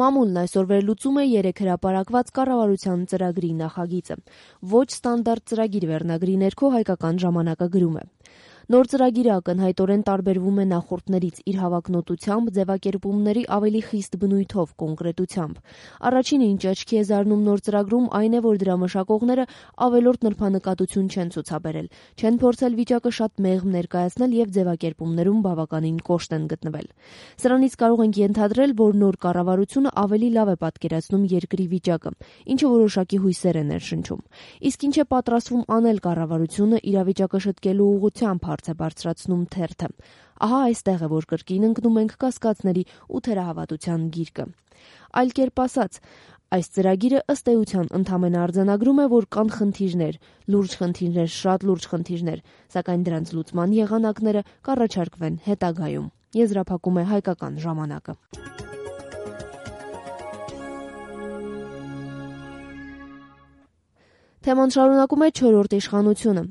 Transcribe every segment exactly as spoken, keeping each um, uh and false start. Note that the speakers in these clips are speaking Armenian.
Մամուլն այսօր վերլուծում է երեք հրապարակված կառավարության ծրագրի նախագիծը։ Ոչ ստանդարտ ծրագիր վերնագրի ներքո Հայկական ժամանակը գրում է. Նոր ծրագիրը ակնհայտորեն տարբերվում է նախորդներից իր հավակնոտությամբ, ձևակերպումների ավելի խիստ բնույթով, կոնկրետությամբ։ Առաջինը, ինչ աչքի է զարնում նոր ծրագրում, այն է, որ դրա մշակողները ավելորդ նրբանկատություն չեն ցուցաբերել, չեն փորձել վիճակը շատ մեղմ ներկայացնել եւ ձևակերպումներում բավականին կոշտ են գտնվել։ Սրանից կարող ենք ենթադրել, որ նոր կառավարությունը ավելի լավ է պատկերացնում երկրի վիճակը, ինչը որոշակի հույսեր է ներշնչում։ Իսկ ինչ է պատրաստվում անել կառավարությունը իրավիճակը շտկելու ուղղությամբ հարց է բարձրացնում թերթը։ Ահա այստեղ է, որ կրկին ընկնում ենք կասկածների ու թերահավատության գիրկը։ Այլ կերպ ասած, այս ծրագիրը ըստ էության ընդամենը արձանագրում է, որ կան խնդիրներ, լուրջ խնդիրներ, շատ լուրջ խնդիրներ, սակայն դրանց լուծման եղանակները կառաջարկվեն հետագայում։ Եզրափակում է Հայկական ժամանակը։ Թեման շարունակում է չորրորդ իշխանությունը։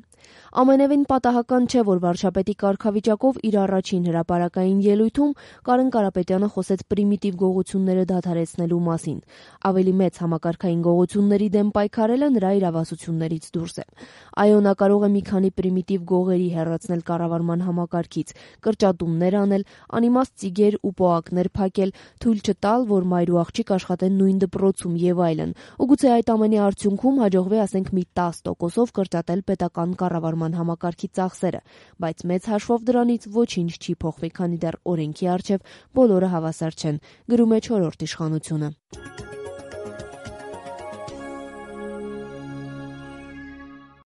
Ամենևին պատահական չէ, որ վարչապետի կարգավիճակով իր առաջին հրապարակային ելույթում Կարեն Կարապետյանը խոսեց պրիմիտիվ գողությունները դադարեցնելու մասին։ Ավելի մեծ համակարգային գողությունների դեմ պայքարելը նրա իրավասություններից դուրս է։ Այո, նա կարող է մի քանի պրիմիտիվ գողերի հեռացնել կառավարման համակարգից, կրճատումներ անել, անիմաստ ծիգեր ու պոակներ փակել, թույլ չտալ, որ մայր ու աղջիկ աշխատեն նույն դպրոցում եւ այլն։ Ու գուցե այդ ամենի արդյունքում հաջողվի, ասենք, մի տասը տոկոսով կրճատել պետական կառավարման համակարգի ծախսերը, բայց մեծ հաշվով դրանից ոչինչ չի փոխվի, քանի դեռ օրենքի առջև բոլորը հավասար չեն, գրում է չորրորդ իշխանությունը։